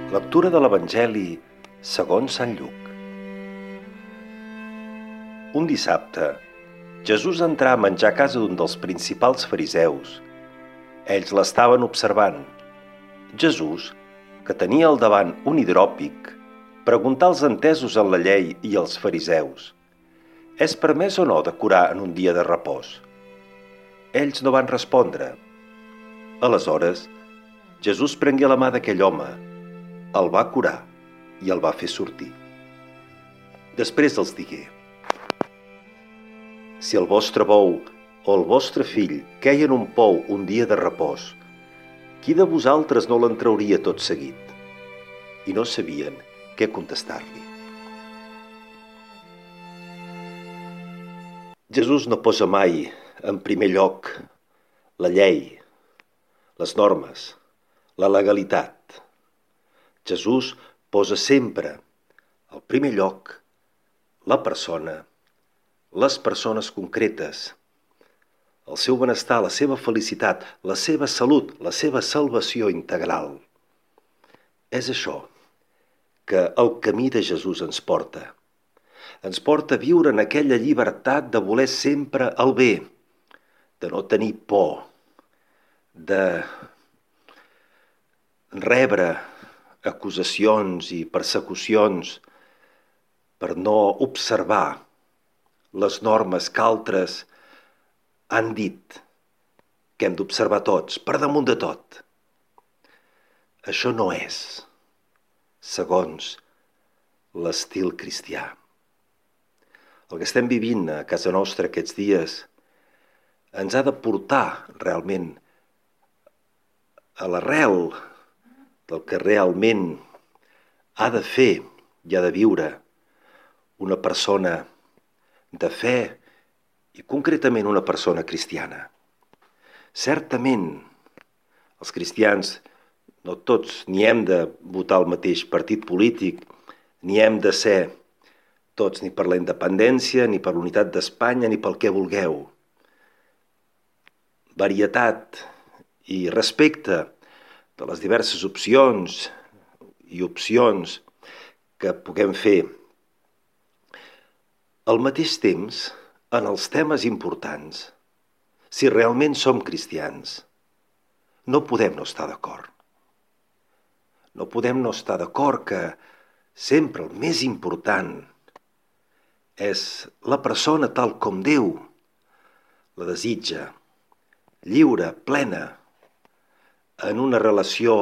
Lectura de l'Evangeli segons Sant Lluc. Un dissabte, Jesús entrà a menjar a casa d'un dels principals fariseus. Ells l'estaven observant. Jesús, que tenia al davant un hidròpic, preguntà als entesos en la llei i als fariseus: «És permès o no de curar en un dia de repòs?» Ells no van respondre. Aleshores, Jesús prengué la mà d'aquell home, el va curar i el va fer sortir. Després els digué: «Si el vostre bou o el vostre fill queia en un pou un dia de repòs, qui de vosaltres no l'entrauria tot seguit?» I no sabien què contestar-li. Jesús no posa mai en primer lloc la llei, les normes, la legalitat. Jesús posa sempre al primer lloc la persona, les persones concretes, el seu benestar, la seva felicitat, la seva salut, la seva salvació integral. És això que el camí de Jesús ens porta. Ens porta a viure en aquella llibertat de voler sempre el bé, de no tenir por, de rebre acusacions i persecucions per no observar les normes que altres han dit que hem d'observar tots, per damunt de tot. Això no és segons l'estil cristià. El que estem vivint a casa nostra aquests dies ens ha de portar realment a l'arrel del que realment ha de fer i ha de viure una persona de fe i concretament una persona cristiana. Certament, els cristians, no tots, ni hem de votar el mateix partit polític, ni hem de ser tots ni per la independència, ni per l'unitat d'Espanya, ni pel que vulgueu. Varietat i respecte de les diverses opcions que puguem fer. Al mateix temps, en els temes importants, si realment som cristians, no podem no estar d'acord. No podem no estar d'acord que sempre el més important és la persona tal com Déu la desitja, lliure, plena, en una relació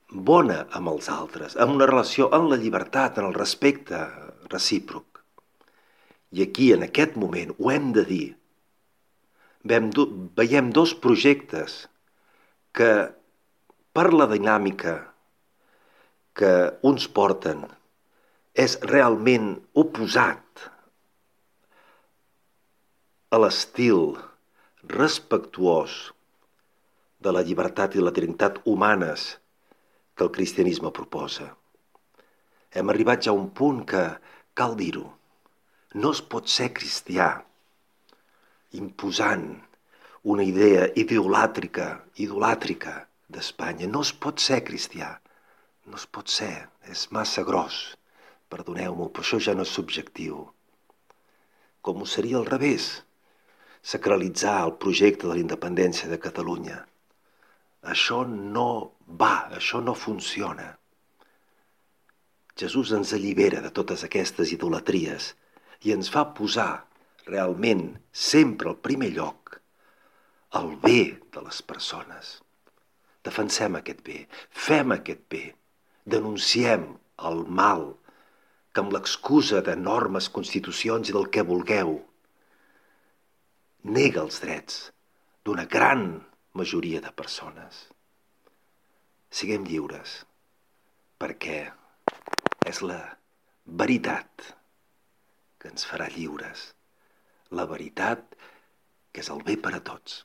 bona amb els altres, en una relació en la llibertat, en el respecte recíproc. I aquí, en aquest moment, ho hem de dir. Veiem dos projectes que, per la dinàmica que uns porten, és realment oposat a l'estil respectuós de la llibertat i la dignitat humanes que el cristianisme proposa. Hem arribat ja a un punt que cal dir-ho. No es pot ser cristià imposant una idea idolàtrica d'Espanya. No es pot ser cristià. No es pot ser. És massa gros. Perdoneu-m'ho, però això ja no és subjectiu. Com ho seria al revés? Sacralitzar el projecte de la independència de Catalunya. Això no va, això no funciona. Jesús ens allibera de totes aquestes idolatries i ens fa posar realment sempre al primer lloc el bé de les persones. Defensem aquest bé, fem aquest bé, denunciem el mal que amb l'excusa de normes, constitucions i del que vulgueu nega els drets d'una gran majoria de persones. Siguem lliures, perquè és la veritat que ens farà lliures. La veritat que és el bé per a tots.